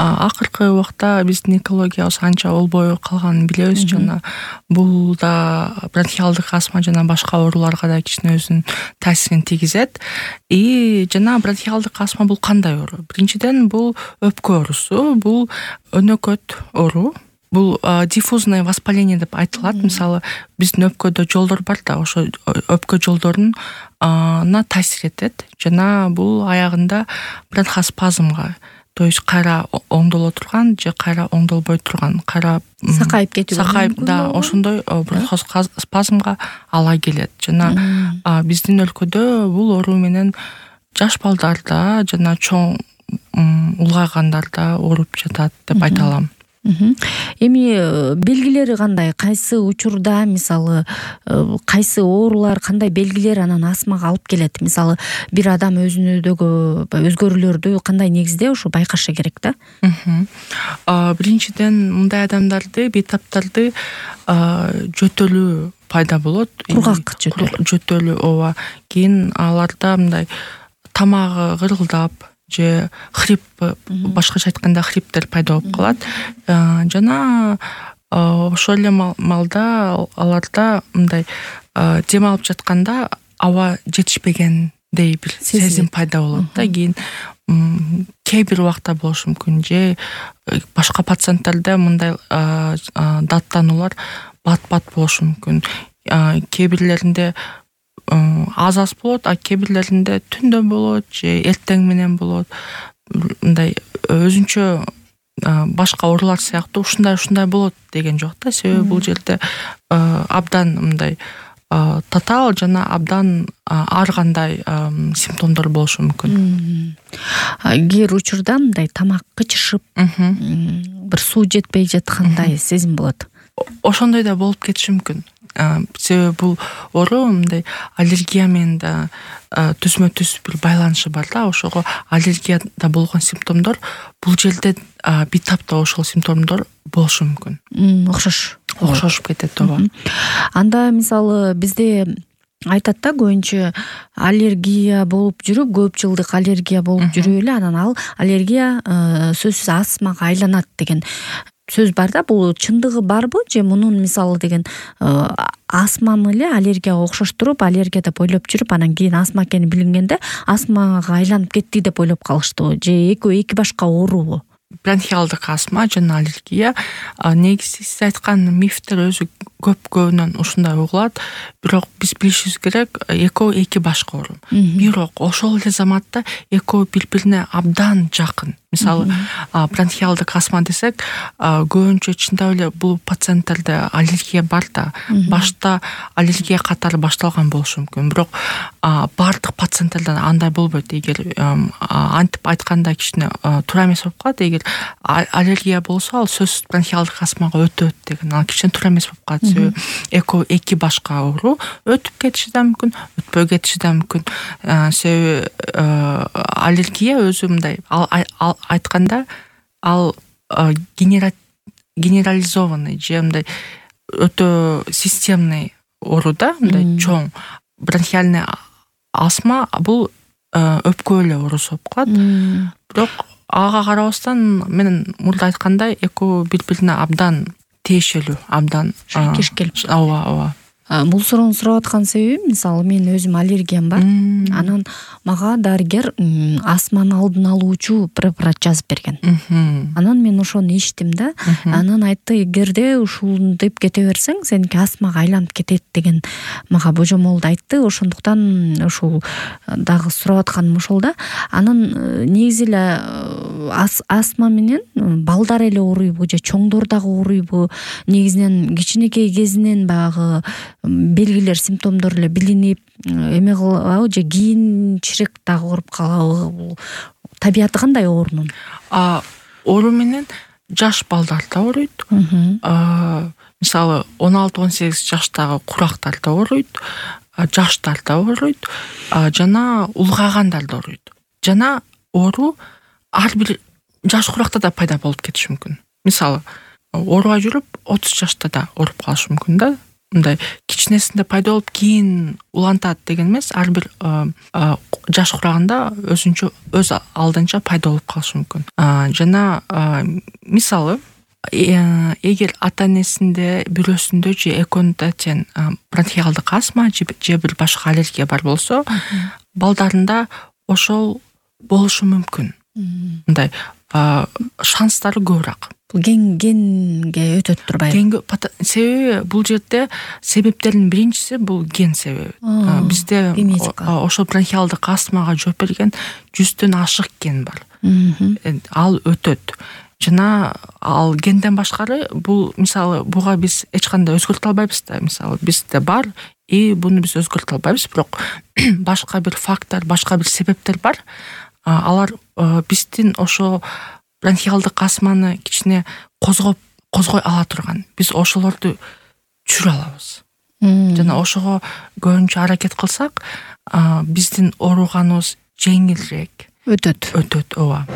акыркы убакта биздин экологиябыз анча болбой калганын билебиз. Жана бул да бронхиалдык астма жана башка ооруларга да кичине өзүнүн таасирин тийгизет. Жана бронхиалдык астма бул кандай оору? Биринчиден бул өпкө оорусу, бул өнөкөт оору. Бул диффузное воспаление деп айтылат. Мисалы, биздин өпкөдө жолдор бар да, ошо өпкө жолдоруна таасир этет. Жана бул аягында бронхоспазмга, то есть кайра оңдоло турган же кайра оңдолбой турган, кайра сакайып кетүү. Сакайып, да, ошондой бронхоспазмга ала келет. Жана биздин өлкөдө бул оору менен жаш балдарда жана чоң улгайгандарда ооруп жатат деп айта алам. Эми белгилери кандай? Кайсы учурда, мисалы, кайсы оорулар, кандай белгилер анан астмага алып келет? Мисалы, бир адам өзүнүдөгү өзгөрүүлөрдү кандай негизде ушу байкашы керек да? Биринчиден, мындай адамдарды, бейтаптарды жөтөлүү пайда болот. Кургак жөтөлүү, ооба. Кийин аларда мындай тамагы кырылдап же хрип, башкача айтканда хриптер пайда болуп калат. Жана ошол эле маалда аларда мындай дем алып жатканда аба жетишпегендей бир сезим пайда болот да. Кийин кээ бир убакта болушу мүмкүн, же башка пациенттерде мындай даттануулар бат-бат болушу мүмкүн. Кээ бирлеринде аз болот, кээ бирлеринде түндө болот же эртең менен болот. Мындай өзүнчө башка оорулар сыяктуу ушундай болот деген жок да. Себеби бул жерде абдан мындай татаал жана абдан ар кандай симптомдор болушу мүмкүн. Кээ бир учурда мындай тамак кычышып, бир суу жетпей жаткандай сезим болот. Ошондой да болуп кетиши мүмкүн. Себеби бул оору мындай аллергия менен да түзмө-түз бир байланышы бар да. Ошого аллергияда болгон симптомдор бул жерде бейтапта ошол симптомдор болушу мүмкүн. Окшошуп кетет, ооба. Анда мисалы бизде айтат да, көбүнчө аллергия болуп жүрүп, көп жылдык аллергия болуп жүрүп эле анан ал аллергия сөзсүз астмага айланат деген сөз бар да. Бул чындыгы барбы же мунун мисалы деген астманы эле аллергияга окшоштуруп, аллергия деп ойлоп жүрүп, анан кийин астма экени билингенде астмага айланып кетти деп ойлоп калыштыбы, же эки башка оорубу? Бронхиалдык астма жана аллергия негизи сиз айткан мифтер өзү көбүнөн ушундай угулат. Бирок биз билишибиз керек, экөө эки башка оору. Бирок ошол эле заматта экөө бири-бирине абдан жакын. Мисалы, бронхиалдык астма десек, көбүнчө чындап эле бул пациенттерде аллергия бар да. Башта аллергия катары башталган болушу мүмкүн. Бирок бардык пациенттерде андай болбойт. Эгер антип айтканда кичине туура эмес болуп калат. Эгер аллергия болсо, ал сөзсүз бронхиалдык астмага өтөт деген. Ал кичине туура эмес болуп калат. Себеби экөө эки башка оору, өтүп кетиши да мүмкүн, өтпөй кетиши да мүмкүн. Себеби аллергия өзү мындай айтканда ал генерализованный же мындай өтө системный оору да, мындай чоң. Бронхиальный астма бул өпкө эле оорусу болуп калат. Бирок ага карабастан мен мурда айткандай экөө бири-бирине абдан тиешелүү, абдан шайкеш келип. Ооба. Бул суроону сурап аткан себебим, мисалы, мен өзүм аллергиям бар. Анан мага дарыгер астманы алдын алуучу препарат жазып берген. Анан мен ошону ичтим да. Анан айтты, эгерде ушултип кете берсең, сеники астмага айланып кетет деген мага божомолду айтты. Ошондуктан ушул дагы сурап атканым ошол да. Анан негизи эле астма менен балдар эле ооруйбу же чоңдор дагы ооруйбу? Негизинен кичинекей кезинен багы белгилер, симптомдор эле билинип эме кылабы же кийинчерээк дагы ооруп калабы? Табияты кандай оорунун? Оору менен жаш балдарда ооруйт. Мисалы, 16-18 жаштагы курактарда ооруйт, жаштарда ооруйт, жана улгайгандарда ооруйт. Жана оору ар бир жаш куракта да пайда болуп кетиши мүмкүн. Мисалы, оорубай жүрүп 30 жашта да ооруп калышы мүмкүн да. мындай кичинесинде пайда болуп кийин улантат деген эмес, ар бир жаш кураганда өзүнчө өз алдынча пайда болуп калышы мүмкүн. Жана мисалы эгер ата энесинде бирөөсүндө же экөөнүндө тең бронхиалдык астма же бир башка аллергия бар болсо, балдарында ошол болушу мүмкүн. Мындай шанстары көбүрөөк. Бул генге өтөт турбайбы? Себеби бул жерде себептердин биринчиси бул ген себеби. Бизде ошол бронхиалдык астмага жооп берген 100дөн ашык ген бар. Ал өтөт. Жана ал генден башкары бул, мисалы, буга биз эч кандай өзгөртө албайбыз да. Мисалы, бизде бар, буну биз өзгөртө албайбыз, бирок башка бир фактор, башка бир себептер бар. Алар биздин ошо бронхиалдык астманы кичине козгой ала турган. Биз ошолорду түшүрө алабыз. Жана ошого көбүнчө аракет кылсак, биздин ооруганыбыз жеңилирээк өтөт. Ооба.